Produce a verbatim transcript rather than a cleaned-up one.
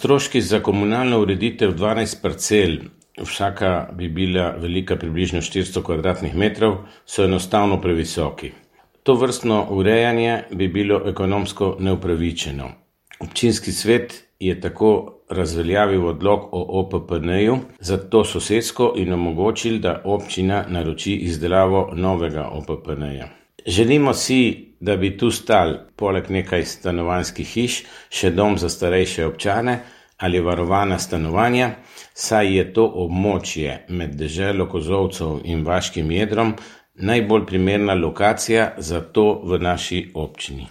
Stroški za komunalno ureditev dvanajst parcel, vsaka bi bila velika približno štiristo kvadratnih metrov, so enostavno previsoki. To vrstno urejanje bi bilo ekonomsko neupravičeno. Občinski svet je tako razveljavil odlok o O P P N-ju za to sosesko in omogočil, da občina naroči izdelavo novega O P P N-ja. Želimo si, da bi tu stal poleg nekaj stanovanjskih hiš še dom za starejše občane ali varovana stanovanja, saj je to območje med deželo Kozolcev in vaškim jedrom najbolj primerna lokacija za to v naši občini.